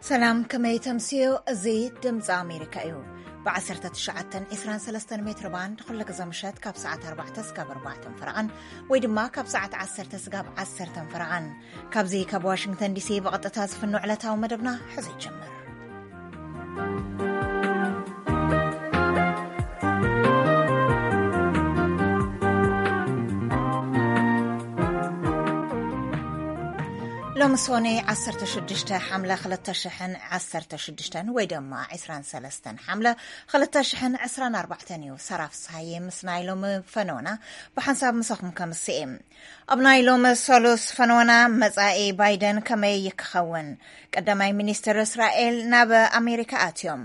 ሰላም፣ ከመይ ተምስዮ? እዚ ድምፂ ኣሜሪካ እዩ። ብ1923 ሜትር ባንድ ኩሉ ግዜ ምሸት ካብ ሰዓት ኣርባዕተ እስካብ ኣርባዕተ ፈረቓን ወይ ድማ ካብ ሰዓት ዓሰርተ እስካብ ዓሰርተ ፈረቓን። ካብዚ ካብ ዋሽንግተን ዲሲ ብቐጥታ ዝፍኖ ዕለታዊ መደብና ሕዚ ይጀምር። ሎሚ ሶኔ ዓሰርተ ሽዱሽተ ሓምለ ክልተ ሽሕን ዓሰርተ ሽዱሽተን ወይ ድማ ዕስራን ሰለስተን ሓምለ ክልተ ሽሕን ዕስራን ኣርባዕተን እዩ። ሰራፍ ሳየ ምስ ናይ ሎሚ ፈነወና ብሓንሳብ ምሳኹም ከምስእ። ኣብ ናይ ሎሚ ሰሉስ ፈነወና መጻኢ ባይደን ከመይ ይክኸውን? ቀዳማይ ሚኒስትር እስራኤል ናብ ኣሜሪካ ኣትዮም።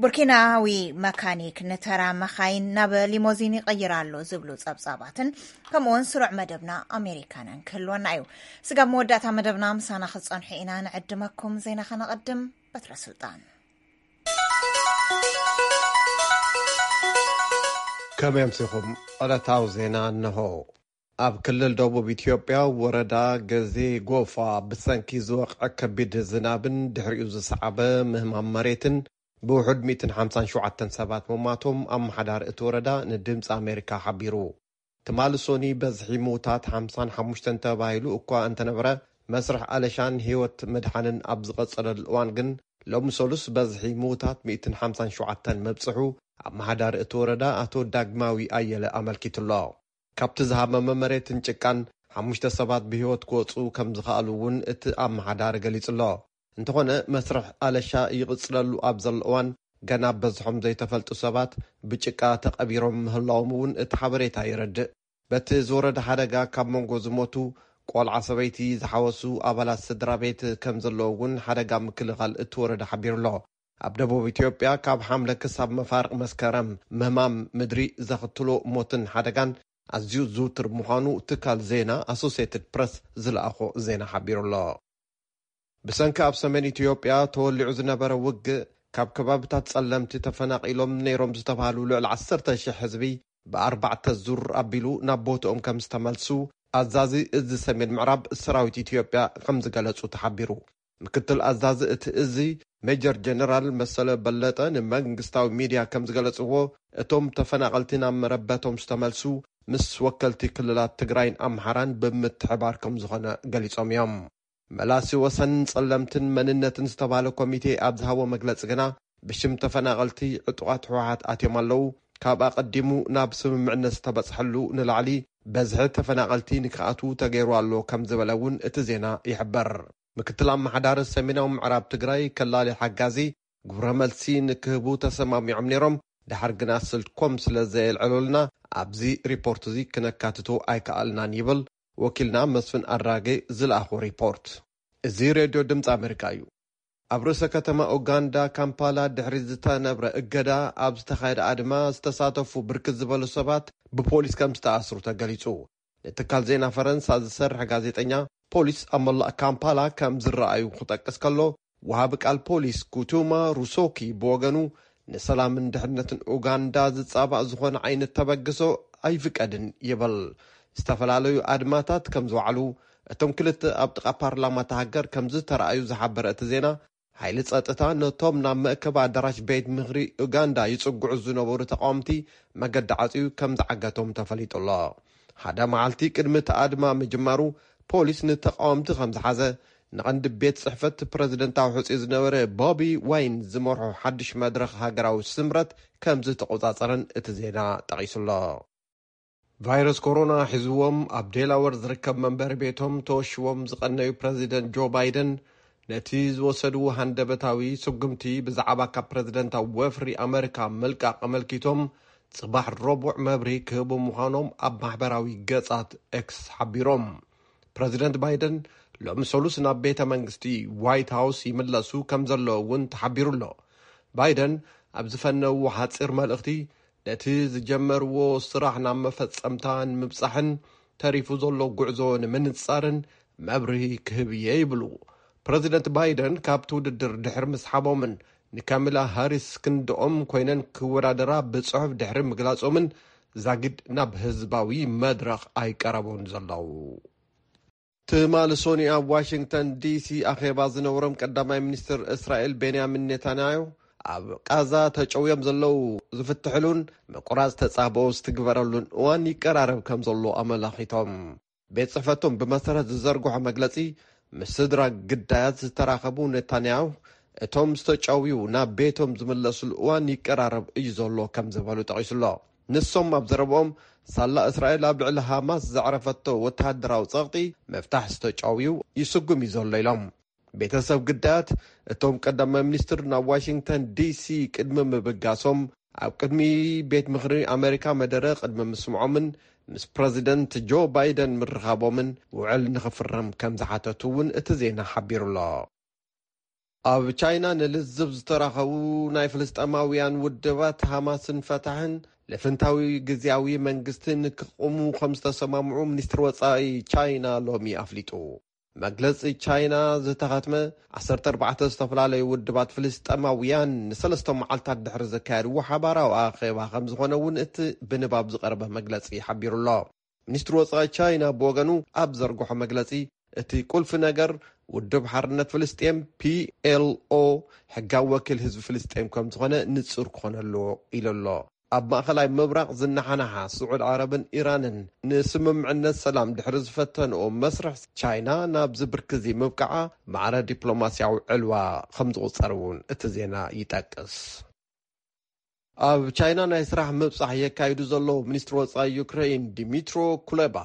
ቡርኪናዊ መካኒክ ንተራ መኻይን ናብ ሊሞዚን ይቐይር ኣሎ ዝብሉ ጸብጻባትን ከምኡውን ስሩዕ መደብና ኣሜሪካናን ክህልወና እዩ። ስጋብ መወዳእታ መደብና ምሳና ክትጸንሑ ኢና ንዕድመኩም። ዜና ከነቐድም። በትረ ስልጣን። ከመይ ኣምሲኹም? ዕለታዊ ዜና እንሆ። ኣብ ክልል ደቡብ ኢትዮጵያ ወረዳ ገዜ ጎፋ ብሰንኪ ዝወቕዐ ከቢድ ዝናብን ድሕሪኡ ዝሰዓበ ምህማም መሬትን ብውሑድ ሚእትን ሓምሳን ሸውዓተን ሰባት ምሟቶም ኣመሓዳሪ እቲ ወረዳ ንድምፂ ኣሜሪካ ሓቢሩ። ትማሊ ሶኒ በዝሒ ምውታት ሓምሳን ሓሙሽተን ተባሂሉ እኳ እንተነበረ፣ መስርሕ ኣለሻን ህይወት ምድሓንን ኣብ ዝቐጸለሉ እዋን ግን፣ ሎሚ ሰሉስ በዝሒ ምውታት ሚእትን ሓምሳን ሸውዓተን መብጽሑ ኣመሓዳሪ እቲ ወረዳ ኣቶ ዳግማዊ ኣየለ ኣመልኪቱ ኣሎ። ካብቲ ዝሃመመ መሬትን ጭቃን ሓሙሽተ ሰባት ብህይወት ክወጹ ከም ዝኸኣሉ እውን እቲ ኣመሓዳሪ ገሊጹ ኣሎ። እንተኾነ፣ መስርሕ ኣለሻ ይቕጽለሉ ኣብ ዘሎ እዋን፣ ገና በዝሖም ዘይተፈልጡ ሰባት ብጭቃ ተቐቢሮም ምህላዎም እውን እቲ ሓበሬታ የረድእ። በቲ ዝወረደ ሓደጋ ካብ መንጎ ዝሞቱ ቆልዓ ሰበይቲ ዝሓወሱ ኣባላት ስድራ ቤት ከም ዘለዉ እውን ሓደጋ ምክልኻል እቲ ወረዳ ሓቢሩ ኣሎ። ኣብ ደቡብ ኢትዮጵያ ካብ ሓምለ ክሳብ መፋርቕ መስከረም ምህማም ምድሪ ዘኽትሎ ሞትን ሓደጋን ኣዝዩ ዝውትር ምዃኑ ትካል ዜና ኣሶሴትድ ፕረስ ዝለኣኾ ዜና ሓቢሩ ኣሎ። ብሰንኪ ኣብ ሰሜን ኢትዮጵያ ተወሊዑ ዝነበረ ውግእ ካብ ከባብታት ጸለምቲ ተፈናቒሎም ነይሮም ዝተባህሉ ልዕሊ ዓሰርተ ሽሕ ህዝቢ ብኣርባዕተ ዙር ኣቢሉ ናብ ቦትኦም ከም ዝተመልሱ ኣዛዚ እዚ ሰሜን ምዕራብ ሰራዊት ኢትዮጵያ ከም ዝገለጹ ተሓቢሩ። ምክትል ኣዛዚ እቲ እዚ ሜጀር ጀነራል መሰለ በለጠ ንመንግስታዊ ሚድያ ከም ዝገለጽዎ፣ እቶም ተፈናቐልቲ ናብ መረበቶም ዝተመልሱ ምስ ወከልቲ ክልላት ትግራይን ኣምሓራን ብምትሕባር ከም ዝኾነ ገሊጾም እዮም። መላሲ ወሰንን ጸለምትን መንነትን ዝተባህለ ኮሚቴ ኣብ ዝሃቦ መግለጺ ግና፣ ብሽም ተፈናቐልቲ ዕጡቓት ህወሓት ኣትዮም ኣለዉ፣ ካብ ኣቐዲሙ ናብ ስምምዕነት ዝተበጽሐሉ ንላዕሊ በዝሒ ተፈናቐልቲ ንክኣትዉ ተገይሩ ኣሎ ከም ዝበለ እውን እቲ ዜና ይሕበር። ምክትል ኣመሓዳሪ ሰሜናዊ ምዕራብ ትግራይ ከላሊ ሓጋዚ ግብረ መልሲ ንክህቡ ተሰማሚዖም ነይሮም፣ ደሓር ግና ስልኮም ስለ ዘየልዕሉልና ኣብዚ ሪፖርት እዚ ክነካትቶ ኣይከኣልናን ይብል ወኪልና መስፍን ኣድራጌ ዝለኣኾ ሪፖርት። እዚ ሬድዮ ድምፂ ኣሜሪካ እዩ። ኣብ ርእሰ ከተማ ኡጋንዳ ካምፓላ ድሕሪ ዝተነብረ እገዳ ኣብ ዝተኻየደ ኣድማ ዝተሳተፉ ብርክት ዝበሉ ሰባት ብፖሊስ ከም ዝተኣስሩ ተገሊጹ። ንትካል ዜና ፈረንሳ ዝሰርሕ ጋዜጠኛ ፖሊስ ኣብ መላእ ካምፓላ ከም ዝረኣዩ ክጠቅስ ከሎ፣ ወሃቢ ቃል ፖሊስ ኩቱማ ሩሶኪ ብወገኑ፣ ንሰላምን ድሕነትን ኡጋንዳ ዝጻባእ ዝኾነ ዓይነት ተበግሶ ኣይፍቀድን ይብል። ዝተፈላለዩ ኣድማታት ከም ዝወዓሉ፣ እቶም ክልተ ኣብ ጥቓ ፓርላማ እታ ሃገር ከም ዝተረኣዩ ዝሓበረ እቲ ዜና፣ ሓይሊ ጸጥታ ነቶም ናብ መእከቢ ኣዳራሽ ቤት ምኽሪ ኡጋንዳ ይጽግዑ ዝነበሩ ተቃወምቲ መገዲ ዓጽዩ ከም ዝዓገቶም ተፈሊጡ ኣሎ። ሓደ መዓልቲ ቅድሚ እቲ ኣድማ ምጅማሩ፣ ፖሊስ ንተቃወምቲ ከም ዝሓዘ፣ ንቐንዲ ቤት ጽሕፈት ፕረዚደንታዊ ሕጹይ ዝነበረ ቦቢ ዋይን ዝመርሖ ሓድሽ መድረኽ ሃገራዊ ስምረት ከም ዝተቆጻጸረን እቲ ዜና ጠቒሱ ኣሎ። ቫይረስ ኮሮና ሒዝዎም ኣብ ዴላወር ዝርከብ መንበሪ ቤቶም ተወሽቦም ዝቐነዩ ፕረዚደንት ጆ ባይደን፣ ነቲ ዝወሰድዎ ሃንደበታዊ ስጉምቲ ብዛዕባ ካብ ፕረዚደንታዊ ወፍሪ ኣመሪካ ምልቃቕ ኣመልኪቶም ጽባሕ ረቡዕ መብርሂ ክህቡ ምዃኖም ኣብ ማሕበራዊ ገጻት ኤክስ ሓቢሮም። ፕረዚደንት ባይደን ሎሚ ሰሉስ ናብ ቤተ መንግስቲ ዋይት ሃውስ ይምለሱ ከም ዘለዉ እውን ተሓቢሩ ኣሎ። ባይደን ኣብ ዝፈነውዎ ሓጺር መልእኽቲ፣ ነቲ ዝጀመርዎ ስራሕ ናብ መፈጸምታ ንምብጻሕን ተሪፉ ዘሎ ጉዕዞ ንምንጻርን መብርሂ ክህብ እየ ይብሉ። ፕረዚደንት ባይደን ካብቲ ውድድር ድሕሪ ምስሓቦምን ንካሚላ ሃሪስ ክንድኦም ኮይነን ክወዳደራ ብጽሑፍ ድሕሪ ምግላጾምን ዛጊድ ናብ ህዝባዊ መድረኽ ኣይቀረቡን ዘለዉ። ትማሊ ሶኒ ኣብ ዋሽንግተን ዲሲ ኣኼባ ዝነበሮም ቀዳማይ ሚኒስትር እስራኤል ቤንያሚን ኔታንያሁ፣ ኣብ ቃዛ ተጨውዮም ዘለዉ ዝፍትሕሉን ምቁራጽ ተጻብኦ ዝትግበረሉን እዋን ይቀራረብ ከም ዘሎ ኣመላኺቶም። ቤት ጽሕፈቶም ብመሰረት ዝዘርግሖ መግለጺ፣ ምስ ስድራ ግዳያት ዝተራኸቡ ኔታንያሁ፣ እቶም ዝተጨውዩ ናብ ቤቶም ዝምለስሉ እዋን ይቀራረብ እዩ ዘሎ ከም ዝበሉ ጠቒሱሎ። ንሶም ኣብ ዘረብኦም፣ ሳላ እስራኤል ኣብ ልዕሊ ሃማስ ዘዕረፈቶ ወተሃደራዊ ጸቕጢ፣ ምፍታሕ ዝተጨውዩ ይስጉም እዩ ዘሎ ኢሎም። ቤተሰብ ግዳያት እቶም ቀዳማይ ሚኒስትር ናብ ዋሽንግተን ዲሲ ቅድሚ ምብጋሶም፣ ኣብ ቅድሚ ቤት ምኽሪ ኣሜሪካ መደረ ቅድሚ ምስምዖምን ምስ ፕረዚደንት ጆ ባይደን ምርኻቦምን ውዕል ንኽፍረም ከም ዝሓተቱ እውን እቲ ዜና ሓቢሩሎ። ኣብ ቻይና ንልዝብ ዝተራኸቡ ናይ ፍልስጤማውያን ውድባት ሃማስን ፈታሕን ልፍንታዊ ግዝያዊ መንግስቲ ንክቕሙ ከም ዝተሰማምዑ ሚኒስትሪ ወጻኢ ቻይና ሎሚ ኣፍሊጡ። መግለጺ ቻይና ዝተኸትመ ዓሰርተ ኣርባዕተ ዝተፈላለዩ ውድባት ፍልስጤማውያን ንሰለስተ መዓልታት ድሕሪ ዘካየድዎ ሓባራዊ ኣኼባ ከም ዝኾነ እውን እቲ ብንባብ ዝቐረበ መግለጺ ሓቢሩሎ። ሚኒስትሪ ወጻኢ ቻይና ብወገኑ ኣብ ዘርግሖ መግለጺ፣ እቲ ቁልፊ ነገር ውድብ ሓርነት ፍልስጤም፣ ፒ ኤል ኦ፣ ሕጋዊ ወኪል ህዝቢ ፍልስጤም ከም ዝኾነ ንጹር ክኾን ኣለዎ ኢሉ ኣሎ። ኣብ ማእኸላይ ምብራቕ ዝነሓናሓ ስዑድ ዓረብን ኢራንን ንስምምዕነት ሰላም ድሕሪ ዝፈተንኦ መስርሕ፣ ቻይና ናብዚ ብርክዚ ምብቃዓ ማዕረ ዲፕሎማስያዊ ዕልዋ ከም ዝቑጸር እውን እቲ ዜና ይጠቅስ። ኣብ ቻይና ናይ ስራሕ ምብጻሕ የካይዱ ዘለዉ ሚኒስትሪ ወጻኢ ዩክሬን ዲሚትሮ ኩሌባ፣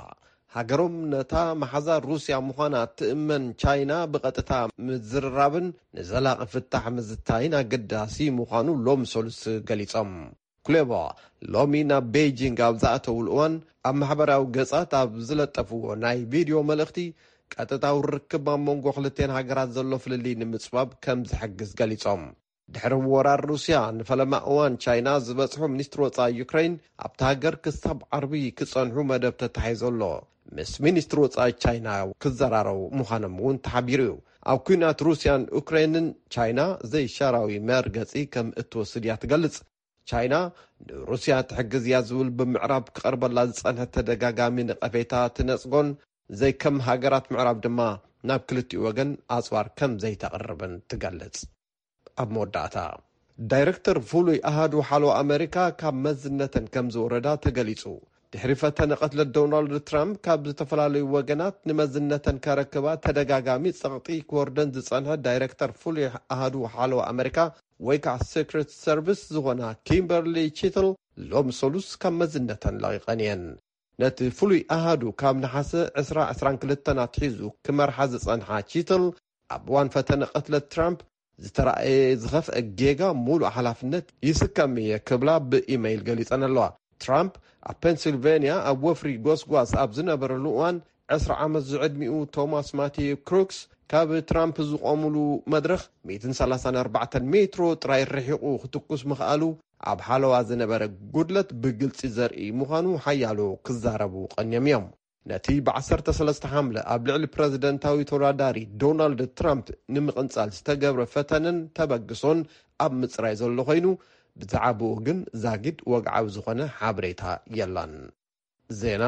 ሃገሮም ነታ መሓዛ ሩስያ ምዃና ትእመን ቻይና ብቐጥታ ምዝርራብን ንዘላቒ ፍታሕ ምዝታይን ኣገዳሲ ምዃኑ ሎም ሰሉስ ገሊጾም። ኩሌባ ሎሚ ናብ ቤይጂንግ ኣብ ዝኣተውሉ እዋን ኣብ ማሕበራዊ ገጻት ኣብ ዝለጠፍዎ ናይ ቪድዮ መልእኽቲ፣ ቀጥታዊ ርክብ ኣብ መንጎ ክልቴን ሃገራት ዘሎ ፍልልይ ንምጽባብ ከም ዝሕግዝ ገሊጾም። ድሕሪ ወራር ሩስያ ንፈለማ እዋን ቻይና ዝበጽሑ ሚኒስትሪ ወጻኢ ዩክሬን፣ ኣብታ ሃገር ክሳብ ዓርቢ ክጸንሑ መደብ ተታሒዙ ኣሎ። ምስ ሚኒስትሪ ወጻኢ ቻይና ክዘራረቡ ምዃኖም እውን ተሓቢሩ እዩ። ኣብ ኲናት ሩስያን ዩክሬንን ቻይና ዘይሻራዊ መርገጺ ከም እትወስድ እያ ትገልጽ። ቻይና ንሩስያ ትሕግዝ እያ ዝብል ብምዕራብ ክቐርበላ ዝጸንሐ ተደጋጋሚ ነቐፌታ ትነጽጎን ዘይከም ሃገራት ምዕራብ ድማ ናብ ክልቲኡ ወገን ኣጽዋር ከም ዘይተቕርብን ትገልጽ። ኣብ መወዳእታ፣ ዳይረክተር ፍሉይ ኣሃዱ ሓለዋ ኣመሪካ ካብ መዝነተን ከም ዝወረዳ ተገሊጹ። ድሕሪ ፈተነ ቅትለት ዶናልድ ትራምፕ ካብ ዝተፈላለዩ ወገናት ንመዝነተን ከረክባ ተደጋጋሚ ጸቕጢ ክወርደን ዝጸንሐ ዳይረክተር ፍሉይ ኣሃዱ ሓለዋ ኣመሪካ ወይ ከዓ ሴክሬት ሰርቪስ ዝኾና ኪምበርሊ ቺትል ሎም ሰሉስ ካብ መዝነተን ለቒቐን እየን። ነቲ ፍሉይ ኣሃዱ ካብ ነሓሰ ዕስራ ዕስራን ክልተን ኣትሒዙ ክመርሓ ዝጸንሓ ቺትል፣ ኣብ እዋን ፈተነ ቅትለት ትራምፕ ዝተራእየ ዝኸፍአ ጌጋ ሙሉእ ሓላፍነት ይስከም እየ ክብላ ብኢመይል ገሊጸን ኣለዋ። ትራምፕ ኣብ ፔንሲልቬንያ ኣብ ወፍሪ ጎስጓስ ኣብ ዝነበረሉ እዋን፣ ዕስራ ዓመት ዝዕድሚኡ ቶማስ ማቲዩ ክሩክስ ካብ ትራምፕ ዝቖሙሉ መድረኽ ሚእትን ሰላሳን ኣርባዕተን ሜትሮ ጥራይ ርሒቑ ክትኩስ ምኽኣሉ፣ ኣብ ሓለዋ ዝነበረ ጉድለት ብግልጺ ዘርኢ ምዃኑ ሓያሎ ክዛረቡ ቀንዮም እዮም። ነቲ ብ ዓሰርተ ሰለስተ ሓምለ ኣብ ልዕሊ ፕረዚደንታዊ ተወዳዳሪ ዶናልድ ትራምፕ ንምቕንጻል ዝተገብረ ፈተነን ተበግሶን ኣብ ምጽራይ ዘሎ ኮይኑ፣ ብዛዕባኡ ግን ዛጊድ ወግዓዊ ዝኾነ ሓበሬታ የላን። ዜና።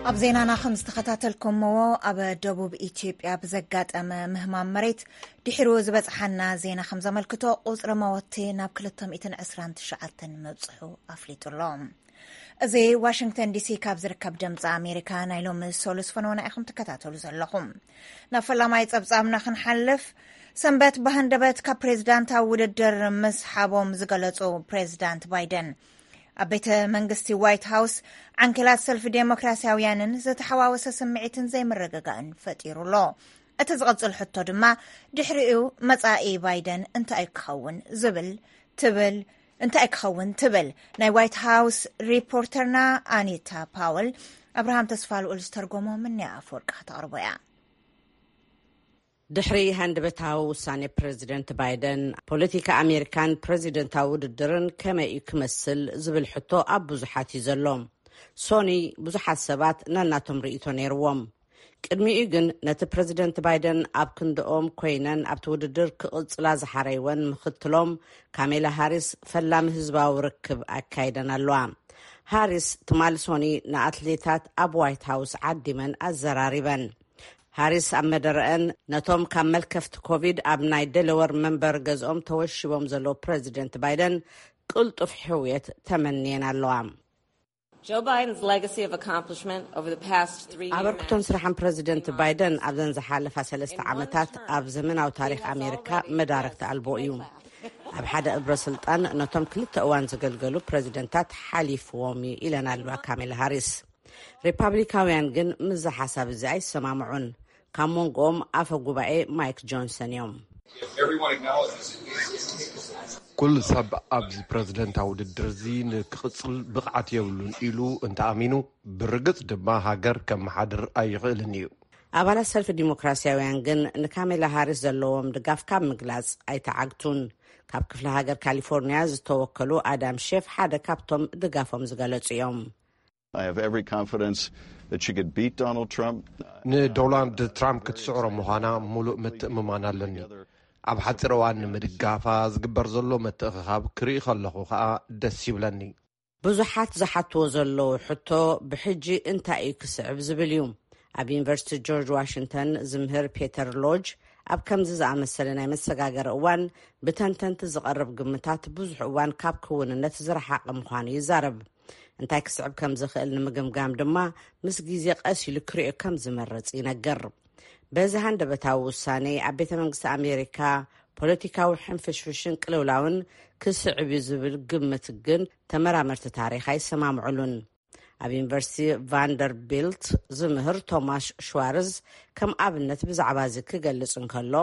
ኣብ ዜናና ከም ዝተኸታተልኩምዎ፣ ኣብ ደቡብ ኢትዮጵያ ብዘጋጠመ ምህማም መሬት ድሕሩ ዝበጽሓና ዜና ከም ዘመልክቶ፣ ቁጽሪ መወቲ ናብ ክልተ ሚእትን ዕስራን ትሽዓተን ምብጽሑ ኣፍሊጡ ኣሎ። እዚ ዋሽንግተን ዲሲ ካብ ዝርከብ ድምፂ ኣሜሪካ ናይ ሎሚ ሰሉስ ፈነወና ኢኹም ትከታተሉ ዘለኹም። ናብ ፈላማይ ጸብጻብና ክንሓልፍ፣ ሰንበት ብሃንደበት ካብ ፕሬዝዳንታዊ ውድድር ምስሓቦም ዝገለጹ ፕሬዝዳንት ባይደን፣ ኣብ ቤተ መንግስቲ ዋይት ሃውስ ዓንኬላት ሰልፊ ዴሞክራሲያውያንን ዝተሓዋወሰ ስምዒትን ዘይምርግጋእን ፈጢሩ ኣሎ። እቲ ዝቕጽል ሕቶ ድማ፣ ድሕሪኡ መጻኢ ባይደን እንታይ ክኸውን ዝብል ትብል እንታይ ክኸውን ትብል። ናይ ዋይት ሃውስ ሪፖርተርና ኣኒታ ፓወል፣ ኣብርሃም ተስፋ ልኡል ዝተርጎሞ ምንያ ኣፈወርቂ ከተቕርቦ እያ። ድሕሪ ሃንደበታዊ ውሳኔ ፕረዚደንት ባይደን፣ ፖለቲካ ኣሜሪካን ፕረዚደንታዊ ውድድርን ከመይ እዩ ክመስል ዝብል ሕቶ ኣብ ብዙሓት እዩ ዘሎ። ሶኒ ብዙሓት ሰባት ነናቶም ርእይቶ ነይርዎም። ቅድሚኡ ግን ነቲ ፕረዚደንት ባይደን ኣብ ክንድኦም ኮይነን ኣብቲ ውድድር ክቕጽላ ዝሓረይወን ምኽትሎም ካሜላ ሃሪስ ፈላሚ ህዝባዊ ርክብ ኣካይደን ኣለዋ። ሃሪስ ትማሊ ሶኒ ንኣትሌታት ኣብ ዋይት ሃውስ ዓዲመን ኣዘራሪበን። ሃሪስ ኣብ መደረአን ነቶም ካብ መልከፍቲ ኮቪድ ኣብ ናይ ደለወር መንበር ገዝኦም ተወሺቦም ዘለዉ ፕረዚደንት ባይደን ቅልጡፍ ሕውየት ተመንየን ኣለዋ። Joe Biden's legacy of accomplishment over the past three years. ኣበርክቶን ስራሕን ፕረዚደንት ባይደን ኣብዘን ዝሓለፋ ሰለስተ ዓመታት ኣብ ዘመናዊ ታሪኽ ኣሜሪካ መዳረግቲ ኣልቦ እዩ። ኣብ ሓደ እብረ ስልጣን ነቶም ክልተ እዋን ዘገልገሉ ፕረዚደንታት ሓሊፍዎም እዩ ኢለን ኣለዋ ካሜላ ሃሪስ። ሪፓብሊካውያን ግን ምስዚ ሓሳብ እዚ ኣይሰማምዑን። ካብ መንጎኦም ኣፈ ጉባኤ ማይክ ጆንሰን እዮም። ኩሉ ሰብ ኣብዚ ፕረዚደንታዊ ውድድር እዚ ንክቕጽል ብቕዓት የብሉን ኢሉ እንተኣሚኑ፣ ብርግጽ ድማ ሃገር ከመሓድር ኣይኽእልን እዩ። ኣባላት ሰልፊ ዲሞክራሲያውያን ግን ንካሜላ ሃሪስ ዘለዎም ድጋፍ ካብ ምግላጽ ኣይተዓግቱን። ካብ ክፍለ ሃገር ካሊፎርኒያ ዝተወከሉ ኣዳም ሼፍ ሓደ ካብቶም ድጋፎም ዝገለጹ እዮም። I have every confidence that she could beat Donald Trump. ንዶናልድ ትራምፕ ክትስዕሮ ምዃና ሙሉእ ምትእምማን ኣለኒ። ኣብ ሓፂር እዋን ንምድጋፋ ዝግበር ዘሎ ምትእኽኻብ ክርኢ ከለኹ ከዓ ደስ ይብለኒ። ብዙሓት ዝሓትዎ ዘለዉ ሕቶ ብሕጂ እንታይ እዩ ክስዕብ ዝብል እዩ። ኣብ ዩኒቨርሲቲ ጆርጅ ዋሽንግተን ዝምህር ፔተር ሎጅ ኣብ ከምዚ ዝኣመሰለ ናይ መሰጋገሪ እዋን ብተንተንቲ ዝቐርብ ግምታት ብዙሕ እዋን ካብ ክውንነት ዝረሓቐ ምዃኑ ይዛረብ። እንታይ ክስዕብ ከም ዝኽእል ንምግምጋም ድማ ምስ ግዜ ቀስ ኢሉ ክሪኦ ከም ዝመርጽ ይነግር። በዚ ሃንደበታዊ ውሳኔ ኣብ ቤተ መንግስቲ ኣሜሪካ ፖለቲካዊ ሕንፍሽፍሽን ቅልውላውን ክስዕብ እዩ ዝብል ግምት ግን ተመራመርቲ ታሪኽ ኣይሰማምዕሉን። ኣብ ዩኒቨርሲቲ ቫንደርቢልት ዝምህር ቶማሽ ሽዋርዝ ከም ኣብነት ብዛዕባ እዚ ክገልጽ እንከሎ፣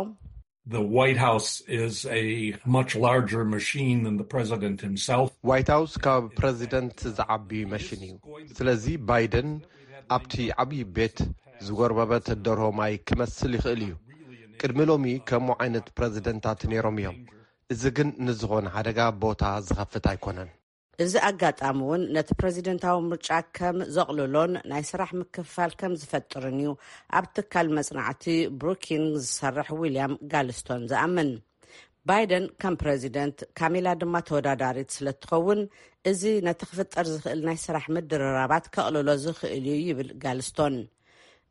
The White House is a much larger machine than the president himself. ዋይት ሃውስ ካብ ፕረዚደንት ዝዓቢ መሽን እዩ። ስለዚ ባይደን ኣብቲ ዓብዪ ቤት ዝጎርበበት ደርሆ ማይ ክመስል ይኽእል እዩ። ቅድሚ ሎሚ ከምኡ ዓይነት ፕረዚደንታት ነይሮም እዮም። እዚ ግን ንዝኾነ ሓደጋ ቦታ ዝኸፍት ኣይኮነን። እዚ ኣጋጣሚ እውን ነቲ ፕረዚደንታዊ ምርጫ ከም ዘቕልሎን ናይ ስራሕ ምክፍፋል ከም ዝፈጥርን እዩ ኣብ ትካል መጽናዕቲ ብሩኪንግ ዝሰርሕ ዊልያም ጋልስቶን ዝኣምን። ባይደን ከም ፕረዚደንት፣ ካሜላ ድማ ተወዳዳሪት ስለ እትኸውን፣ እዚ ነቲ ክፍጠር ዝኽእል ናይ ስራሕ ምድርራባት ከቕልሎ ዝኽእል እዩ ይብል ጋልስቶን።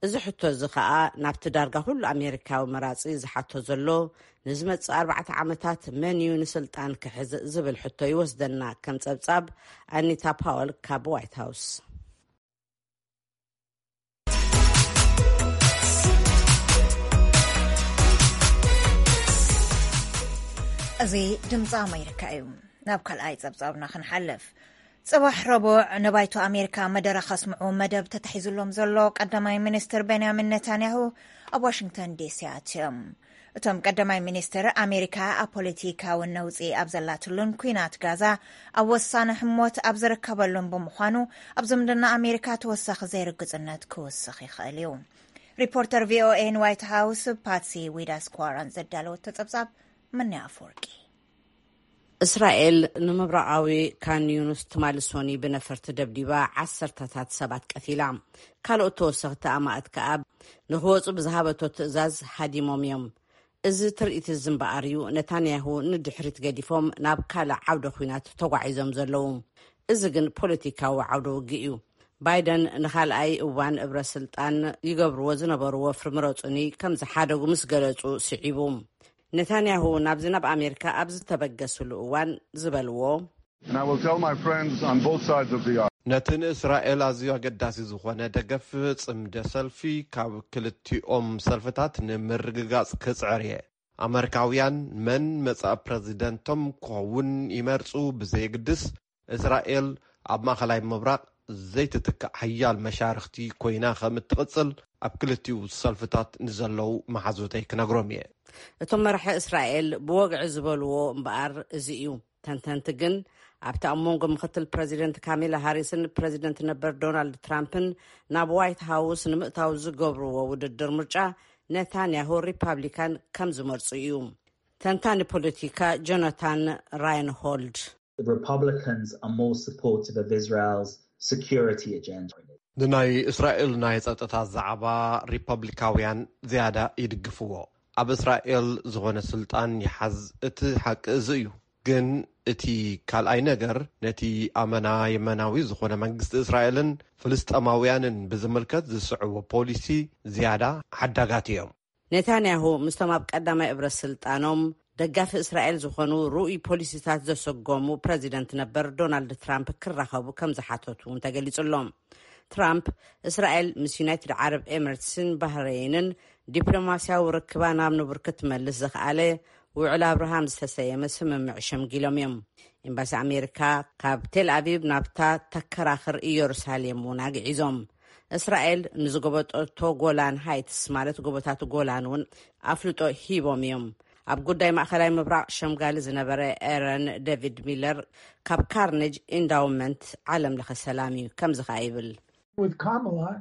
እዚ ሕቶ እዚ ኸኣ ናብቲ ዳርጋ ኩሉ ኣሜሪካዊ መራጺ ዝሓቶ ዘሎ፣ ንዝመጽእ ኣርባዕተ ዓመታት መን እዩ ንስልጣን ክሕዝ ዝብል ሕቶ ይወስደና፣ ከም ጸብጻብ ኣኒታ ፓወል ካብ ዋይት ሃውስ። እዚ ድምፂ ኣሜሪካ እዩ። ናብ ካልኣይ ጸብጻብና ክንሓልፍ። ጽባሕ ረቡዕ ንባይቶ ኣሜሪካ መደረ ከስምዑ መደብ ተታሒዙሎም ዘሎ ቀዳማይ ሚኒስትር ቤንያሚን ኔታንያሁ ኣብ ዋሽንግተን ዲሲ ኣትዮም። እቶም ቀዳማይ ሚኒስትር፣ ኣሜሪካ ኣብ ፖለቲካዊ ነውጺ ኣብ ዘላትሉን ኲናት ጋዛ ኣብ ወሳኒ ህሞት ኣብ ዝርከበሉን ብምዃኑ፣ ኣብ ዝምድና ኣሜሪካ ተወሳኺ ዘይርግጽነት ክውስኽ ይኽእል እዩ። ሪፖርተር ቪኦኤ ንዋይት ሃውስ ፓትሲ ዊዳስኳራን ዘዳለወቶ ጸብጻብ። ምንያ ኣፈወርቂ። እስራኤል ንምብራቓዊ ካን ዩኑስ ትማሊ ሶኒ ብነፈርቲ ደብዲባ፣ ዓሰርተታት ሰባት ቀቲላ። ካልኦት ተወሰኽቲ ኣማእት ከኣ ንኽወጹ ብዝሃበቶ ትእዛዝ ሃዲሞም እዮም። እዚ ትርኢት እዚ እምበኣር እዩ ነታንያሁ ንድሕሪት ገዲፎም ናብ ካልእ ዓውደ ኲናት ተጓዒዞም ዘለዉ። እዚ ግን ፖለቲካዊ ዓውደ ውግእ እዩ። ባይደን ንኻልኣይ እዋን እብረ ስልጣን ይገብርዎ ዝነበሩ ወፍሪ ምረጹኒ ከም ዝሓደጉ ምስ ገለጹ ስዒቡ። ነታንያሁ ናብዚ ናብ ኣሜሪካ ኣብ ዝተበገስሉ እዋን ዝበልዎ፣ And I will tell my friends on both sides of the aisle. ነቲ ንእስራኤል ኣዝዩ ኣገዳሲ ዝኾነ ደገፍ ጽምደ ሰልፊ ካብ ክልቲኦም ሰልፍታት ንምርግጋጽ ክጽዕር እየ። ኣመሪካውያን መን መጻኢ ፕረዚደንቶም ክኸውን ይመርጹ ብዘየግድስ፣ እስራኤል ኣብ ማእከላይ ምብራቕ ዘይትትካእ ሓያል መሻርኽቲ ኮይና ከም እትቕጽል ኣብ ክልቲኡ ሰልፍታት ንዘለዉ መሓዙተይ ክነግሮም እየ። እቶም መራሒ እስራኤል ብወግዒ ዝበልዎ እምበኣር እዚ እዩ። ተንተንቲ ግን ኣብቲ ኣብ መንጎ ምክትል ፕረዚደንት ካሜላ ሃሪስን ፕረዚደንት ነበር ዶናልድ ትራምፕን ናብ ዋይት ሃውስ ንምእታው ዝገብርዎ ውድድር ምርጫ ነታንያሁ ሪፓብሊካን ከም ዝመርጹ እዩ። ተንታኒ ፖለቲካ ጆናታን ራይንሆልድ፣ The Republicans are more supportive of Israel's security agenda. ንናይ እስራኤል ናይ ጸጥታ ዛዕባ ሪፐብሊካውያን ዝያዳ ይድግፍዎ። ኣብ እስራኤል ዝኾነ ስልጣን ይሓዝ፣ እቲ ሓቂ እዚ እዩ። ግን እቲ ካልኣይ ነገር፣ ነቲ ኣመና የመናዊ ዝኾነ መንግስቲ እስራኤልን ፍልስጠማውያንን ብዝምልከት ዝስዕቦ ፖሊሲ ዝያዳ ሓዳጋት እዮም። ኔታንያሁ ምስቶም ኣብ ቀዳማይ እብረ ስልጣኖም ደጋፊ እስራኤል ዝኾኑ ርኡይ ፖሊሲታት ዘሰጎሙ ፕረዚደንት ነበር ዶናልድ ትራምፕ ክራኸቡ ከም ዝሓተቱ እውን ተገሊጹ ኣሎ። ትራምፕ፣ እስራኤል ምስ ዩናይትድ ዓረብ ኤምሬትስን ባህረይንን ዲፕሎማስያዊ ርክባ ናብ ንቡር ክትመልስ ዘኽኣለ ውዕል ኣብርሃም ዝተሰየመ ስምምዕ ሸምጊሎም እዮም። ኤምባሲ ኣሜሪካ ካብ ቴል ኣቪቭ ናብታ ተከራኽር ኢየሩሳሌም እውን ኣግዒዞም። እስራኤል ንዝጎበጠቶ ጎላን ሃይትስ ማለት ጎቦታት ጎላን እውን ኣፍልጦ ሂቦም እዮም። ኣብ ጉዳይ ማእኸላይ ምብራቕ ሸምጋሊ ዝነበረ ኤረን ዴቪድ ሚለር ካብ ካርኔጅ ኢንዳውመንት ዓለም ለኸ ሰላም እዩ ከምዚ ኸኣ ይብል። With Kamala,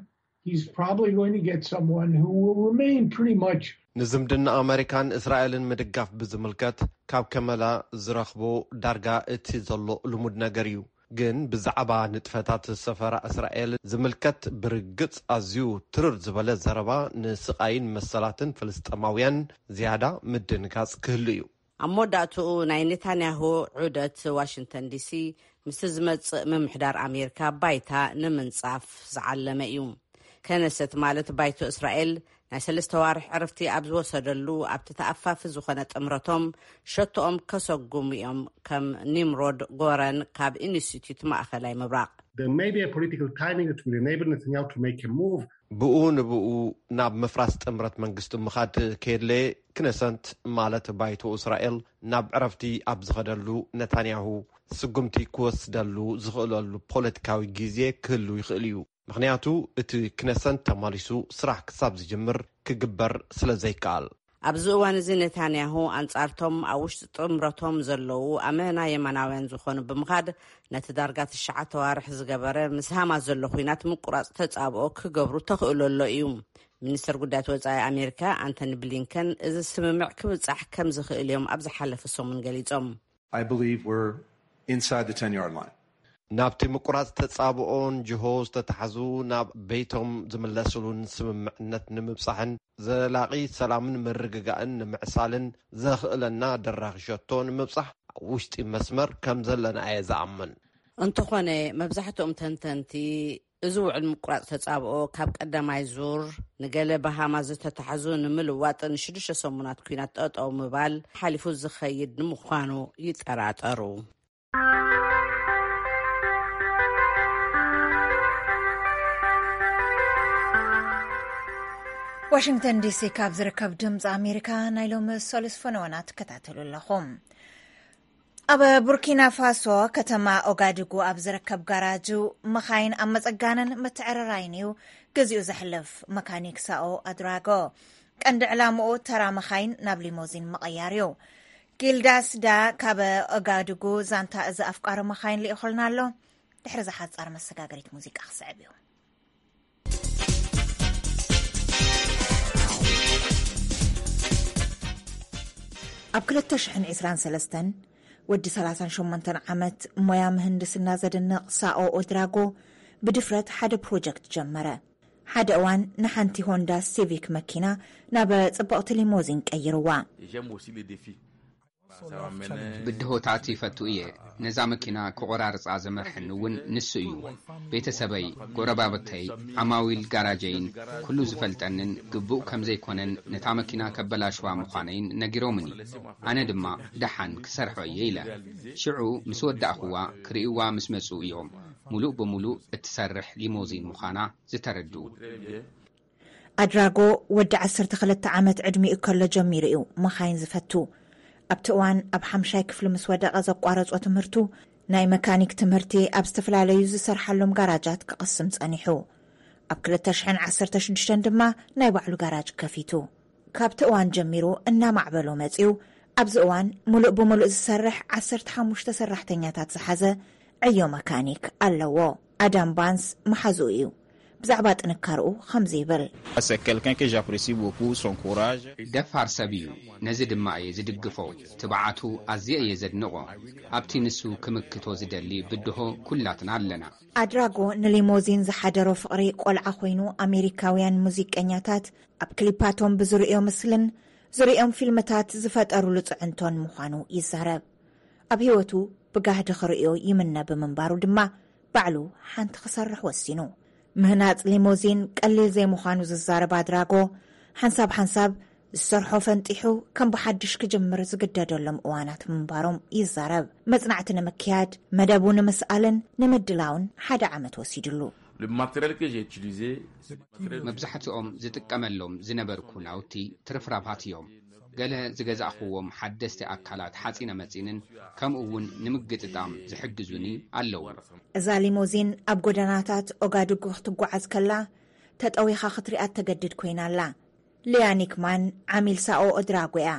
he's probably going to get someone who will remain pretty much ንዝምድና ኣመሪካን እስራኤልን ምድጋፍ ብዝምልከት ካብ ከመላ ዝረኽቦ ዳርጋ እቲ ዘሎ ልሙድ ነገር እዩ። ግን ብዛዕባ ንጥፈታት ሰፈራ እስራኤል ዝምልከት ብርግጽ ኣዝዩ ትርር ዝበለ ዘረባ ንስቓይን መሰላትን ፍልስጠማውያን ዝያዳ ምድንጋጽ ክህሉ እዩ። ኣብ መወዳእትኡ ናይ ኔታንያሁ ዑደት ዋሽንግተን ዲሲ ምስቲ ዝመጽእ ምምሕዳር ኣሜሪካ ባይታ ንምንጻፍ ዝዓለመ እዩ። ከነሰት ማለት ባይቶ እስራኤል ናይ ሰለስተ ዋርሕ ዕረፍቲ ኣብ ዝወሰደሉ ኣብቲ ተኣፋፊ ዝኾነ ጥምረቶም ሸቶኦም ከሰጉሙ እዮም፣ ከም ኒምሮድ ጎረን ካብ ኢንስቲትዩት ማእኸላይ ምብራቕ። There may be a political timing that will enable Netanyahu to make a move. ብኡ ንብኡ ናብ ምፍራስ ጥምረት መንግስቲ ምኻድ ከየድለየ፣ ክነሰንት ማለት ባይቶ እስራኤል ናብ ዕረፍቲ ኣብ ዝኸደሉ፣ ነታንያሁ ስጉምቲ ክወስደሉ ዝኽእለሉ ፖለቲካዊ ግዜ ክህሉ ይኽእል እዩ። ምኽንያቱ እቲ ክነሰንት ተማሊሱ ስራሕ ክሳብ ዝጅምር ክግበር ስለ ዘይከኣል። ኣብዚ እዋን እዚ ኔታንያሁ ኣንጻርቶም ኣብ ውሽጢ ጥምረቶም ዘለዉ ኣመና የማናውያን ዝኾኑ ብምኻድ ነቲ ዳርጋ ትሽዓተ ዋርሕ ዝገበረ ምስ ሃማስ ዘሎ ኲናት ምቁራጽ ተጻብኦ ክገብሩ ተኽእሎ ኣሎ እዩ። ሚኒስተር ጉዳያት ወጻኢ ኣሜሪካ ኣንቶኒ ብሊንከን እዚ ስምምዕ ክብጻሕ ከም ዝኽእል እዮም ኣብ ዝሓለፈ ሰሙን ገሊጾም። I believe we're inside the ten-yard line. ናብቲ ምቁራጽ ተጻብኦን ጅሆ ዝተታሕዙ ናብ ቤቶም ዝምለስሉን ስምምዕነት ንምብጻሕን ዘላቒ ሰላምን ምርግጋእን ንምዕሳልን ዘኽእለና ደራኺ ሸቶ ንምብጻሕ ኣብ ውሽጢ መስመር ከም ዘለና እየ ዝኣምን። እንተኾነ፣ መብዛሕትኦም ተንተንቲ፣ እዚ ውዕል ምቁራጽ ተጻብኦ ካብ ቀዳማይ ዙር ንገለ ብሃማስ ዝተታሕዙ ንምልዋጥ ንሽዱሽተ ሰሙናት ኲናት ጠጠው ምባል ሓሊፉ ዝኸይድ ንምዃኑ ይጠራጠሩ። ዋሽንግተን ዲሲ ካብ ዝርከብ ድምፂ ኣሜሪካ ናይ ሎሚ ሰሉስ ፈነወና ትከታተሉ ኣለኹም። ኣብ ቡርኪና ፋሶ ከተማ ኦጋድጉ ኣብ ዝርከብ ጋራጁ መኻይን ኣብ መፀጋንን ምትዕርራይን እዩ ግዚኡ ዘሕልፍ መካኒክ ሳኦ ኣድራጎ። ቀንዲ ዕላምኡ ተራ መኻይን ናብ ሊሞዚን ምቕያር እዩ። ጊልዳስ ዳ ካብ ኦጋድጉ ዛንታ እዚ ኣፍቃሪ መኻይን ልኢኹልና ኣሎ። ድሕሪ ዝሓፃር መሰጋገሪት ሙዚቃ ክስዕብ እዩ። ኣብ ክልተ ሽሕን ዕስራን ሰለስተን ወዲ ሰላሳን ሸሞንተን ዓመት ሞያ ምህንድስና ዘድንቕ ሳኦ ኦድራጎ ብድፍረት ሓደ ፕሮጀክት ጀመረ። ሓደ እዋን ንሓንቲ ሆንዳ ሲቪክ መኪና ናብ ጽብቕቲ ሊሞዚን ቀይርዋ። ብድሆታት ይፈቱ እየ። ነዛ መኪና ክቆራርጻ ዘመርሐኒ እውን ንሱ እዩ። ቤተሰበይ፣ ጎረባብተይ፣ ዓማዊል ጋራጀይን ኩሉ ዝፈልጠንን ግቡእ ከም ዘይኮነን ነታ መኪና ከበላሽዋ ምዃነይን ነጊሮምኒ። ኣነ ድማ ደሓን ክሰርሖ እየ ኢለ። ሽዑ ምስ ወዳእኽዋ ክርእይዋ ምስ መጹ እዮም ሙሉእ ብሙሉእ እትሰርሕ ሊሞዚን ምዃና ዝተረድኡ። ኣድራጎ ወዲ ዓሰርተ ክልተ ዓመት ዕድሚኡ ከሎ ጀሚሩ እዩ መኻይን ዝፈቱ። ኣብቲ እዋን ኣብ ሓምሻይ ክፍሊ ምስ ወደቐ ዘቋረጾ ትምህርቱ ናይ መካኒክ ትምህርቲ ኣብ ዝተፈላለዩ ዝሰርሓሎም ጋራጃት ክቕስም ጸኒሑ። ኣብ ክልተ ሽሕን ዓሰርተ ሽዱሽተን ድማ ናይ ባዕሉ ጋራጅ ከፊቱ። ካብቲ እዋን ጀሚሩ እናማዕበሎ መጺኡ። ኣብዚ እዋን ሙሉእ ብሙሉእ ዝሰርሕ ዓሰርተ ሓሙሽተ ሰራሕተኛታት ዝሓዘ ዕዮ መካኒክ ኣለዎ። ኣዳም ባንስ መሓዝኡ እዩ። ብዛዕባ ጥንካርኡ ከምዚ ይብል። C'est quelqu'un que j'apprécie beaucoup, son courage. ደፋር ሰብ እዩ። ነዚ ድማ እየ ዝድግፎ። ትብዓቱ ኣዝየ እየ ዘድንቖ። ኣብቲ ንሱ ክምክቶ ዝደሊ ብድሆ ኩላትና ኣለና። ኣድራጎ ንሊሞዚን ዝሓደሮ ፍቕሪ ቆልዓ ኮይኑ፣ ኣሜሪካውያን ሙዚቀኛታት ኣብ ክሊፓቶም ብዝርእዮ ምስልን ዝርእዮም ፊልምታት ዝፈጠሩሉ ጽዕንቶን ምዃኑ ይዛረብ። ኣብ ህይወቱ ብጋህዲ ክርእዮ ይምነ ብምንባሩ ድማ፣ ባዕሉ ሓንቲ ክሰርሕ ወሲኑ። ምህናጽ ሊሞዚን ቀሊል ዘይምዃኑ ዝዛረብ ኣድራጎ፣ ሓንሳብ ሓንሳብ ዝሰርሖ ፈንጢሑ ከም ብሓድሽ ክጅምር ዝግደደሎም እዋናት ምንባሮም ይዛረብ። መጽናዕቲ ንምክያድ፣ መደቡ ንምስኣልን ንምድላውን ሓደ ዓመት ወሲድሉ። Le matériel que j'ai utilisé, መብዛሕትኦም ዝጥቀመሎም ዝነበርኩ ናውቲ ትርፍራፋት እዮም። ገለ ዝገዛእኽዎም ሓደስቲ ኣካላት ሓጺነ መጺንን ከምኡ እውን ንምግጥጣም ዝሕግዙኒ ኣለዉ። እዛ ሊሞዚን ኣብ ጎደናታት ኦጋዱጉ ክትጓዓዝ ከላ፣ ተጠዊኻ ክትሪኣ ተገድድ ኮይና ኣላ። ሊያ ኒክማን ዓሚል ሳኦ ኦድራጎ እያ።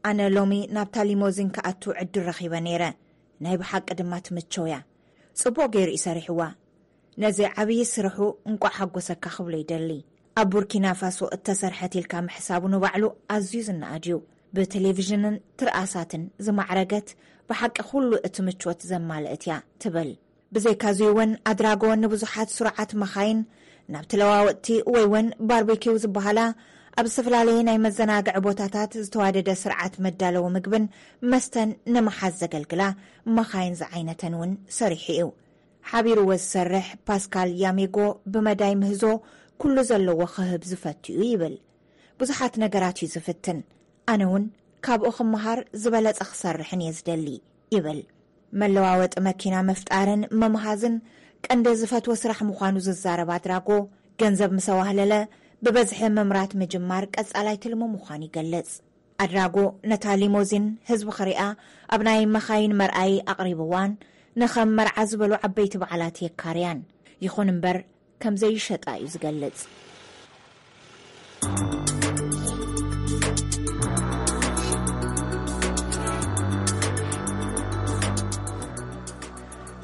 "ኣነ ሎሚ ናብታ ሊሞዚን ክኣቱ ዕድል ረኺበ ነይረ። ናይ ብሓቂ ድማ ትምቸው እያ። ጽቡቕ ገይሩ እዩ ሰሪሕዋ። ነዚ ዓብዪ ስርሑ እንቋዕ ሓጎሰካ ክብሎ ይደሊ። ኣብ ቡርኪና ፋሶ እተሰርሐት ኢልካ ምሕሳቡ ንባዕሉ ኣዝዩ ዝነኣድ እዩ። ብቴሌቪዥንን ትርኣሳትን ዝማዕረገት፣ ብሓቂ ኩሉ እቲ ምቾት ዘማልእት እያ" ትብል። ብዘይካዚ እውን ኣድራጎ ንብዙሓት ስሩዓት መኻይን ናብ ተለዋወጥቲ ወይ እውን ባርቤኪው ዝበሃላ ኣብ ዝተፈላለየ ናይ መዘናግዒ ቦታታት ዝተዋደደ ስርዓት መዳለዊ ምግብን መስተን ንምሓዝ ዘገልግላ መኻይን ዝዓይነተን እውን ሰሪሑ እዩ። ሓቢርዎ ዝሰርሕ ፓስካል ያሜጎ ብመዳይ ምህዞ ኩሉ ዘለዎ ክህብ ዝፈቱ እዩ ይብል። ብዙሓት ነገራት እዩ ዝፍትን። ኣነ እውን ካብኡ ክመሃር ዝበለጸ ክሰርሕን እየ ዝደሊ ይብል። መለዋወጢ መኪና ምፍጣርን ምምሃዝን ቀንዲ ዝፈትዎ ስራሕ ምዃኑ ዝዛረብ ኣድራጎ፣ ገንዘብ ምስ ኣዋህለለ ብበዝሒ ምምራት ምጅማር ቀጻላይ ትልሙ ምዃኑ ይገልጽ። ኣድራጎ ነታ ሊሞዚን ህዝቢ ክሪኣ ኣብ ናይ መኻይን መርኣዪ ኣቕሪብዋን ንኸም መርዓ ዝበሉ ዓበይቲ በዓላት የካርያን። ይኹን እምበር ከም ዘይሸጣ እዩ ዝገልጽ።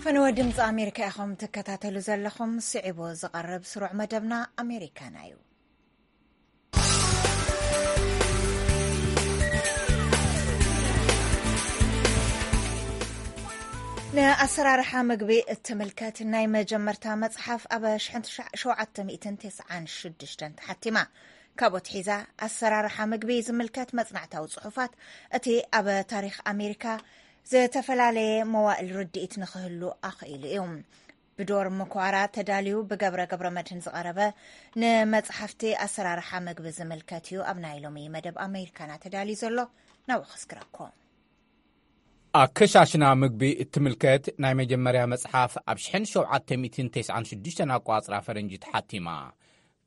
ፈነወ ድምፂ ኣሜሪካ ኢኹም ትከታተሉ ዘለኹም። ስዒቡ ዝቐርብ ስሩዕ መደብና ኣሜሪካና እዩ። ንኣሰራርሓ ምግቢ እትምልከት ናይ መጀመርታ መጽሓፍ ኣብ ሸውዓተ ሚእትን ተስዓን ሽዱሽተን ተሓቲማ። ካብኡ ኣትሒዛ ኣሰራርሓ ምግቢ ዝምልከት መጽናዕታዊ ጽሑፋት፣ እቲ ኣብ ታሪኽ ኣሜሪካ ዝተፈላለየ መዋእል ርድኢት ንኽህሉ ኣኽኢሉ እዩ። ብዶር ምኳራ ተዳልዩ ብገብረ ገብረ መድህን ዝቐረበ ንመጽሓፍቲ ኣሰራርሓ ምግቢ ዝምልከት እዩ ኣብ ናይ ሎሚ መደብ ኣሜሪካና ተዳልዩ ዘሎ። ናብኡ ከስግረኩም። ኣከሻሽና ምግቢ እትምልከት ናይ መጀመርያ መጽሓፍ ኣብ ሸውዓተ ሚእትን ተስዓን ሽዱሽተን ኣቋጽራ ፈረንጂ ተሓቲማ።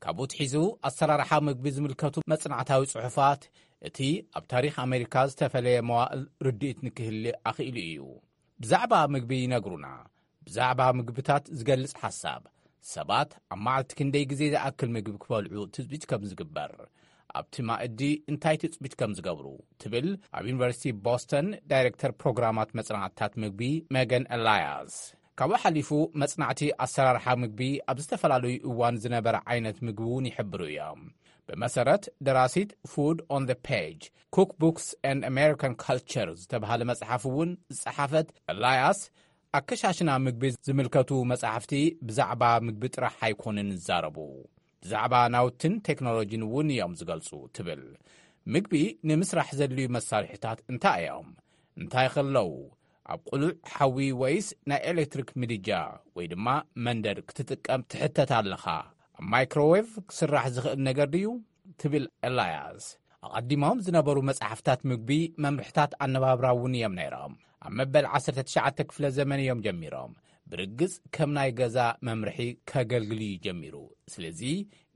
ካብኡ ትሒዙ ኣሰራርሓ ምግቢ ዝምልከቱ መጽናዕታዊ ጽሑፋት፣ እቲ ኣብ ታሪኽ ኣሜሪካ ዝተፈለየ መዋእል ርድኢት ንክህሊ ኣኽኢሉ እዩ። ብዛዕባ ምግቢ ይነግሩና። ብዛዕባ ምግብታት ዝገልጽ ሓሳብ፣ ሰባት ኣብ መዓልቲ ክንደይ ግዜ ዝኣክል ምግቢ ክበልዑ ትጽቢት ከም ዝግበር፣ ኣብቲ ማእዲ እንታይ ትጽቢት ከም ዝገብሩ ትብል ኣብ ዩኒቨርሲቲ ቦስተን ዳይሬክተር ፕሮግራማት መጽናዕትታት ምግቢ መገን ኤላያስ። ካብኡ ሓሊፉ መጽናዕቲ ኣሰራርሓ ምግቢ ኣብ ዝተፈላለዩ እዋን ዝነበረ ዓይነት ምግቢ እውን ይሕብሩ እዮም። ብመሰረት ደራሲት Food on the Page፣ Cookbooks and American Culture ዝተባህለ መጽሓፍ እውን ዝጸሓፈት ኤላያስ፣ ኣከሻሽና ምግቢ ዝምልከቱ መጻሕፍቲ ብዛዕባ ምግቢ ጥራሕ ኣይኮኑን ዝዛረቡ፣ ብዛዕባ ናውትን ቴክኖሎጂን እውን እዮም ዝገልጹ ትብል። ምግቢ ንምስራሕ ዘድልዩ መሳርሒታት እንታይ እዮም? እንታይ ከለዉ? ኣብ ቅሉዕ ሓዊ ወይስ ናይ ኤሌክትሪክ ምድጃ ወይ ድማ መንደድ ክትጥቀም ትሕተት ኣለኻ? ኣብ ማይክሮዌቭ ክስራሕ ዝኽእል ነገር ድዩ? ትብል ኤላያስ። ኣቐዲሞም ዝነበሩ መጽሓፍታት ምግቢ መምርሕታት ኣነባብራ እውን እዮም ነይሮም። ኣብ መበል ዓሰርተ ትሽዓተ ክፍለ ዘመን እዮም ጀሚሮም። ብርግጽ ከም ናይ ገዛ መምርሒ ከገልግል እዩ ጀሚሩ። ስለዚ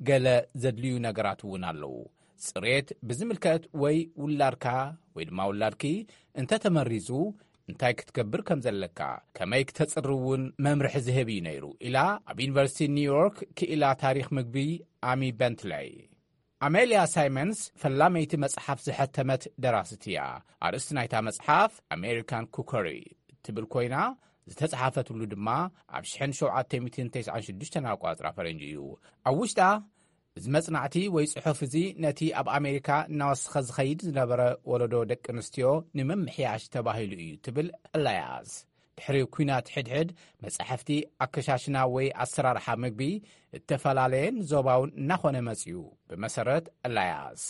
ገለ ዘድልዩ ነገራት እውን ኣለዉ። ጽሬት ብዝምልከት ወይ ውላድካ ወይ ድማ ውላድኪ እንተተመሪዙ እንታይ ክትገብር ከም ዘለካ፣ ከመይ ክተጽሪ እውን መምርሒ ዝህብ እዩ ነይሩ ኢላ ኣብ ዩኒቨርሲቲ ኒውዮርክ ክኢላ ታሪኽ ምግቢ ኣሚ በንትለይ። ኣሜልያ ሳይመንስ ፈላመይቲ መጽሓፍ ዝሐተመት ደራሲት እያ። ኣርእስቲ ናይታ መጽሓፍ ኣሜሪካን ኩከሪ ትብል ኮይና፣ ዝተጻሓፈትሉ ድማ ኣብ ሸውዓተ ሚእትን ተስዓን ሽዱሽተን ኣቋጽራ ፈረንጂ እዩ። ኣብ ውሽጣ፣ እዚ መጽናዕቲ ወይ ጽሑፍ እዚ ነቲ ኣብ ኣሜሪካ እናወሰኸ ዝኸይድ ዝነበረ ወለዶ ደቂ ኣንስትዮ ንምምሕያሽ ተባሂሉ እዩ ትብል ኣላያስ። ድሕሪ ኲናት ሕድሕድ መጻሕፍቲ ኣከሻሽና ወይ ኣሰራርሓ ምግቢ እተፈላለየን ዞባውን እናኾነ መጺኡ። ብመሰረት ኣላያስ፣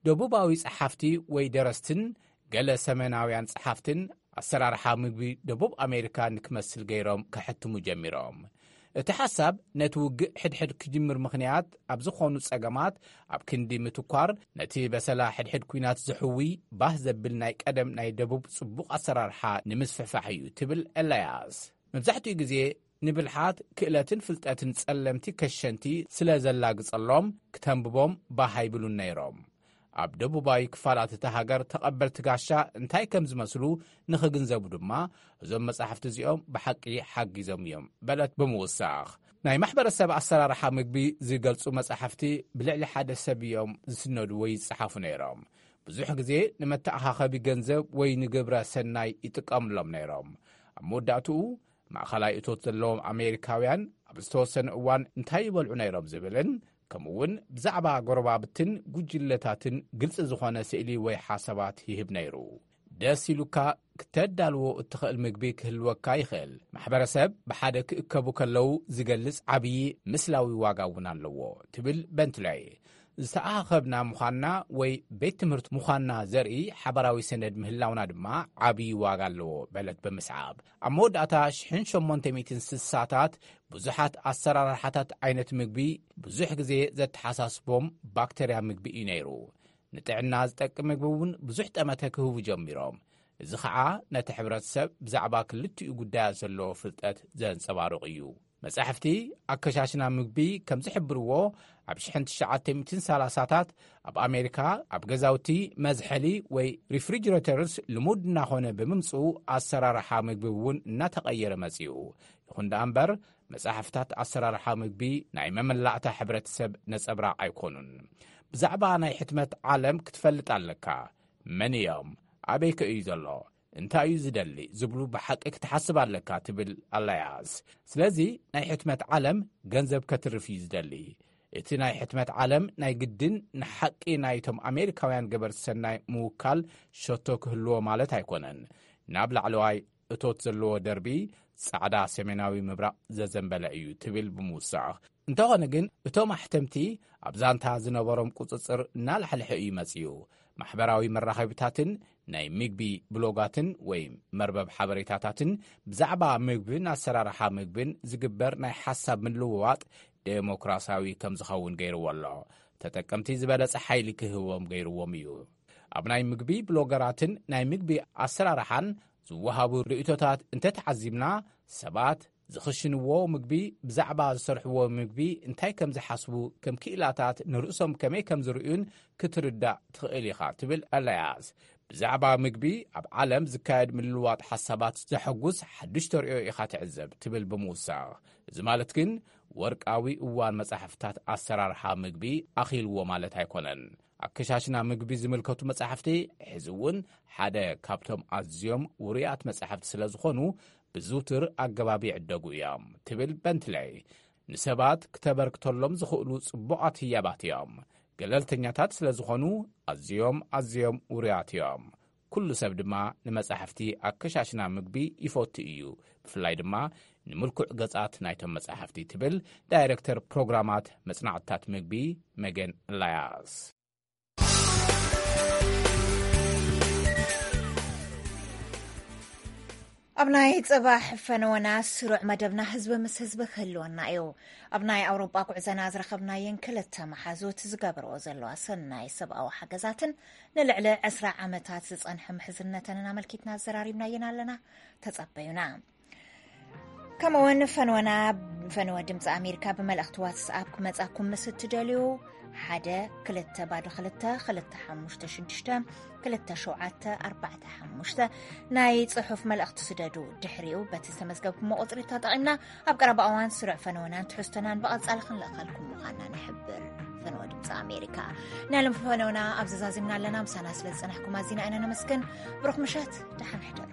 ደቡባዊ ጸሓፍቲ ወይ ደረስትን ገለ ሰሜናውያን ጸሓፍትን ኣሰራርሓ ምግቢ ደቡብ ኣሜሪካ ንክመስል ገይሮም ከሕትሙ ጀሚሮም። እቲ ሓሳብ ነቲ ውግእ ሕድሕድ ክጅምር ምኽንያት ኣብ ዝኾኑ ጸገማት ኣብ ክንዲ ምትኳር፣ ነቲ በሰላ ሕድሕድ ኲናት ዝሕዊ ባህ ዘብል ናይ ቀደም ናይ ደቡብ ጽቡቕ ኣሰራርሓ ንምስፍሕፋሕ እዩ ትብል ኤላያስ። መብዛሕትኡ ግዜ ንብልሓት፣ ክእለትን ፍልጠትን ጸለምቲ ከሸንቲ ስለ ዘላግጸሎም፣ ክተንብቦም ባህ ኣይብሉን ነይሮም። ኣብ ደቡባዊ ክፋላት እታ ሃገር ተቐበልቲ ጋሻ እንታይ ከም ዝመስሉ ንኽግንዘቡ ድማ፣ እዞም መጻሕፍቲ እዚኦም ብሓቂ ሓጊዞም እዮም በለት ብምውሳኽ። ናይ ማሕበረሰብ ኣሰራርሓ ምግቢ ዝገልጹ መጻሕፍቲ ብልዕሊ ሓደ ሰብ እዮም ዝስነዱ ወይ ይጸሓፉ ነይሮም። ብዙሕ ግዜ ንመተኣኻኸቢ ገንዘብ ወይ ንግብረ ሰናይ ይጥቀምሎም ነይሮም። ኣብ መወዳእትኡ፣ ማእኸላይ እቶት ዘለዎም ኣሜሪካውያን ኣብ ዝተወሰነ እዋን እንታይ ይበልዑ ነይሮም ዝብልን፣ ከምኡ'ውን ብዛዕባ ጎረባብትን ጉጅለታትን ግልጺ ዝኾነ ስእሊ ወይ ሓሳባት ይህብ ነይሩ። ደስ ኢሉካ ክተዳልዎ እትኽእል ምግቢ ክህልወካ ይኽእል። ማሕበረሰብ ብሓደ ክእከቡ ከለዉ ዝገልጽ ዓብዪ ምስላዊ ዋጋ እውን ኣለዎ፣ ትብል በንትለይ። ዝተኣኻኸብና ምዃንና ወይ ቤት ትምህርቲ ምዃንና ዘርኢ ሓባራዊ ሰነድ ምህላውና ድማ ዓብዪ ዋጋ ኣለዎ፣ በለት ብምስዓብ። ኣብ መወዳእታ ሽሕን ሸሞንተ ሚእትን ስሳታት ብዙሓት ኣሰራርሓታት ዓይነት ምግቢ ብዙሕ ግዜ ዘተሓሳስቦም ባክተርያ ምግቢ እዩ ነይሩ። ንጥዕና ዝጠቅም ምግቢ እውን ብዙሕ ጠመተ ክህቡ ጀሚሮም። እዚ ኸዓ ነቲ ሕብረተሰብ ብዛዕባ ክልቲኡ ጉዳያት ዘለዎ ፍልጠት ዘንጸባርቕ እዩ። መጻሕፍቲ ኣከሻሽና ምግቢ ከም ዝሕብርዎ፣ ኣብ ሽሕን ትሽዓተ ሚእትን ሰላሳታት ኣብ ኣሜሪካ ኣብ ገዛውቲ መዝሐሊ ወይ ሪፍሪጅሬተርስ ልሙድ እናኾነ ብምምጽኡ፣ ኣሰራርሓ ምግቢ እውን እናተቐየረ መጺኡ። ይኹን ደኣ እምበር፣ መጻሕፍታት ኣሰራርሓ ምግቢ ናይ መመላእታ ሕብረተሰብ ነጸብራቕ ኣይኮኑን። ብዛዕባ ናይ ሕትመት ዓለም ክትፈልጥ ኣለካ። መን እዮም? ኣበይ ከ እዩ ዘሎ? እንታይ እዩ ዝደሊ? ዝብሉ ብሓቂ ክትሓስብ ኣለካ፣ ትብል ኣላያስ። ስለዚ ናይ ሕትመት ዓለም ገንዘብ ከትርፍ እዩ ዝደሊ። እቲ ናይ ሕትመት ዓለም ናይ ግድን ንሓቂ ናይቶም ኣሜሪካውያን ገበርቲ ሰናይ ምውካል ሸቶ ክህልዎ ማለት ኣይኮነን። ናብ ላዕለዋይ እቶት ዘለዎ ደርቢ ጻዕዳ ሰሜናዊ ምብራቕ ዘዘንበለ እዩ፣ ትብል ብምውሳኽ። እንተኾነ ግን፣ እቶም ኣሕተምቲ ኣብ ዛንታ ዝነበሮም ቁጽጽር እናላሕልሐ እዩ መጺኡ። ማሕበራዊ መራኸቢታትን ናይ ምግቢ ብሎጋትን ወይ መርበብ ሓበሬታታትን ብዛዕባ ምግብን ኣሰራርሓ ምግብን ዝግበር ናይ ሓሳብ ምልውዋጥ ዴሞክራሲያዊ ከም ዝኸውን ገይርዎ ኣሎ። ተጠቀምቲ ዝበለጸ ሓይሊ ክህቦም ገይርዎም እዩ። ኣብ ናይ ምግቢ ብሎገራትን ናይ ምግቢ ኣሰራርሓን ዝወሃቡ ርእይቶታት እንተተዓዚብና፣ ሰባት ዝኽሽንዎ ምግቢ፣ ብዛዕባ ዝሰርሕዎ ምግቢ እንታይ ከም ዝሓስቡ፣ ከም ክኢላታት ንርእሶም ከመይ ከም ዝርእዩን ክትርዳእ ትኽእል ኢኻ፣ ትብል ኣላያስ። ብዛዕባ ምግቢ ኣብ ዓለም ዝካየድ ምልውዋጥ ሓሳባት ዘሐጉስ ሓዱሽ ተርእዮ ኢኻ ትዕዘብ፣ ትብል ብምውሳኽ። እዚ ማለት ግን ወርቃዊ እዋን መጻሕፍታት ኣሰራርሓ ምግቢ ኣኺልዎ ማለት ኣይኮነን። ኣከሻሽና ምግቢ ዝምልከቱ መጻሕፍቲ ሕዚ እውን ሓደ ካብቶም ኣዝዮም ውሩያት መጻሕፍቲ ስለ ዝኾኑ፣ ብዝውቱር ኣገባብ ይዕደጉ እዮም፣ ትብል በንትለይ። ንሰባት ክተበርክተሎም ዝኽእሉ ጽቡቓት ህያባት እዮም። ገለልተኛታት ስለ ዝኾኑ፣ ኣዝዮም ኣዝዮም ውሩያት እዮም። ኩሉ ሰብ ድማ ንመጻሕፍቲ ኣከሻሽና ምግቢ ይፈቱ እዩ። ብፍላይ ድማ ንምልኩዕ ገጻት ናይቶም መጻሕፍቲ፣ ትብል ዳይረክተር ፕሮግራማት መጽናዕትታት ምግቢ መገን ላያስ። ኣብ ናይ ጽባሕ ፈነወና ስሩዕ መደብና ህዝቢ ምስ ህዝቢ ክህልወና እዩ። ኣብ ናይ ኣውሮጳ ጉዕዘና ዝረኸብናየን ክልተ መሓዙት ዝገብርኦ ዘለዋ ሰናይ ሰብኣዊ ሓገዛትን ንልዕሊ ዕስራ ዓመታት ዝጸንሐ ምሕዝነተንን ኣመልኪትና ኣዘራሪብናየን ኣለና። ተጸበዩና። ከምኡውን ፈነወና፣ ፈነወ ድምፂ ኣሜሪካ ብመልእኽቲ ዋትስኣፕ ክመጻኩም ምስ እትደልዩ፣ ሓደ ክልተ ባዶ ክልተ ክልተ ሓሙሽተ ሽዱሽተ ክልተ ሸውዓተ ኣርባዕተ ሓሙሽተ ናይ ጽሑፍ መልእኽቲ ስደዱ። ድሕሪኡ በቲ ዝተመዝገብኩሞ ቁጽሪ ተጠቒምና ኣብ ቀረባ እዋን ስሩዕ ፈነወናን ትሕዝቶናን ብቐጻሊ ክንልእኸልኩም ምዃንና ንሕብር። ፈነወ ድምፂ ኣሜሪካ። ናይ ሎም ፈነወና ኣብ ዘዛዚምና ኣለና። ምሳና ስለ ዝጸናሕኩም ኣዚና ኢና ነመስግን። ብሩኽ ምሸት፣ ደሓን ሕደሩ።